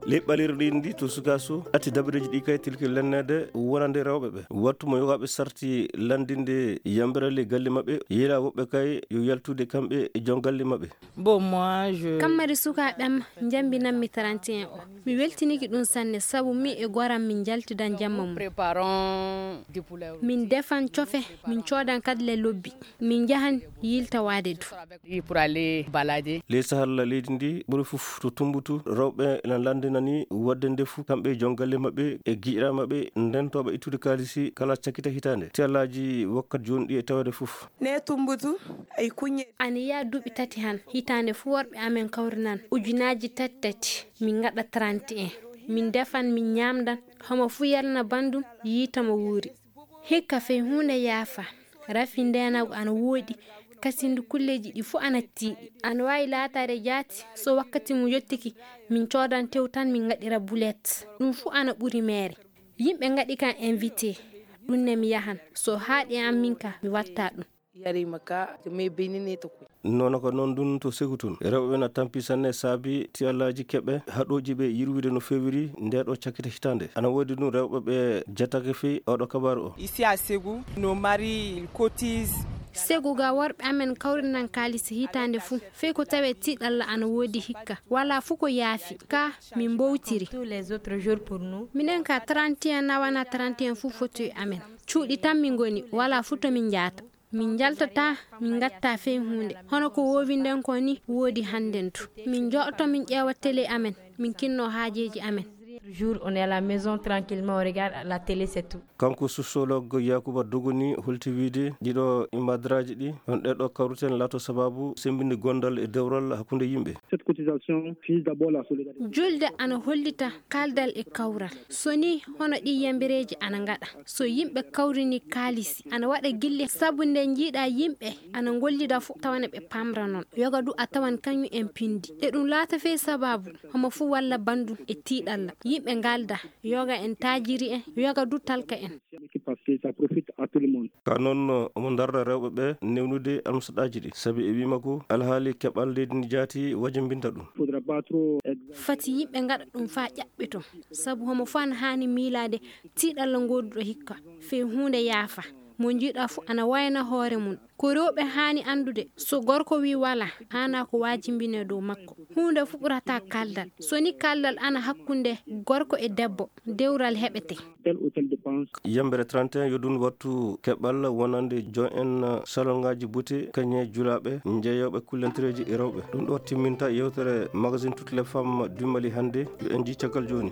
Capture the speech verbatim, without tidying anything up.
Ley ɓalirɗi ndi to sukaaso, ati dabareeji ɗi kay tilki lannede wonande rewɓe ɓe. Wattu mo yogaaɓe sarti lanndinde yambere ley galle maɓɓe, yila woɓɓe kay yo yaltude kamɓe e jon galle maɓɓe. Bon, moi, je... Kammari sukaaɓe am njambinanmi trente et un o. Mi weltiniki ɗum sanne, sabu mi e goram min njaltidan jamma mum. Préparons du poulet. Min defan cofe, min coodan kadi le lobbi. Min njahan yiltawaade du. Pour aller balader. Ley sahalla leydi ndi, ɓuri fof to Tumbutu, rewɓe ina lanndinani waɗde ndefu, kamɓe e jon galle maɓɓe e giƴiraaɓe maɓɓe, ndentooɓe ittude kaalisi kala cakkita hitaande. Tiyallaaji wakkati jooni ɗi e taweede fof. Ne Tumbutu, ay kuñe. Ana yiya duuɓi tati han, hitaande fuu worɓe amen kawrinan ujunaaji tati tati, min ngaɗa trente et un. Min defan, min ñaamdan, homo fuu yalna banndum, yiita mo wuuri. Hikka fey huunde yaafa, rafi ndeenagu ana woodi, kasindu kulleeji ɗi fuu ana tiiɗi. Ana waawi laataade jaati, so wakkati mum yottiki, min coodan tew tan, min ngaɗira bulet. Ɗum fuu ana ɓuri meere. Yimɓe ngaɗi kam invité, ɗum ne mi yahan. So haaɗi e am min ka, mi watta ɗum. Yari maka, to me benine to kuy. Noon ko noon ɗum to Segu tun. Rewɓe na tampi sanne saabi tiyallaaji keɓe haɗooji ɓe yirwude no feewiri nde ɗo cakkite hitaande. Ana woodi ɗum rewɓe ɓe jatake fey oɗo kabaaru o. Ici à Ségou, nos maris, ils cotisent. Segu ga worɓe amen kawrinan kaalisi hitaande fuu. Fey ko tawee tiiɗalla ana woodi hikka. Wala fuu ko yaafi. Ka min mbowtiri. Tous les autres jours pour nous. Minen ka trente et un nawana trente et un fuu foti e amen. Cuuɗi tan min ngoni, wala fuu to min njaata. Min njaltataa, min ngattaa fey huunde. Hono ko woowinden ko ni woodi hannden tu. Min njoɗoto, min ƴeewa télé amen, min kinnoo haajeeji amen. Jour, on est à la maison tranquillement, on regarde la télé, c'est tout. Kanko sociologue Yakuba Dogoni holti wiide ɗiɗo ibadaraaji ɗi, on ɗeɗo kawriten laato sababu semmbinde gondal e dewral hakkunde yimɓe. Cette cotisation vise d'abord la solidarité. Julde ana hollita kaaldal e kawral. So ni hono ɗi yambireeji ana ngaɗa. So yimɓe kawrini kaalisi, ana waɗa gilli sabu nde njiiɗa yimɓe ana ngollida fuu tawana ɓe pamra noon. Yoga du a tawan kañum en pindi. E ɗum laata fey sababu homo fuu walla banndum e tiiɗalla. Yimɓe ngalda, yoga en taajiri en, yoga du talka en. Parce que ça profite à tout le monde. Ka noon, omo darra rewɓe ɓe newnude almusaɗaaji ɗi, sabi e wii makko alhaali keɓal leydi ndi jaati wajimbinta ɗum. Faudra pas trop ex- Fati yimɓe ngaɗa ɗum faa ƴaɓɓito, sabu homo fuu ana haani miilaade tiiɗalla ngooduɗo hikka, fey huunde yaafa. Mo njiiɗa fuu ana wayna hoore mum. Ko rewɓe haani anndude, so gorko wii wala, haana ko wajimbine dow makko. Huunde fuu ɓurata kaaldal. So ni kaaldal ana hakkunde gorko e debbo, dewral heɓete. Tel ou tel dépense. Yambere trente et un yo ɗum wattu keɓal wonande jon en salongaaji buti, kañe julaaɓe, njeeyooɓe kullantireeji e rewɓe. Ɗum ɗo timminta yewtere magazine Toutes les femmes du Mali hannde. Yo en njii caggal jooni.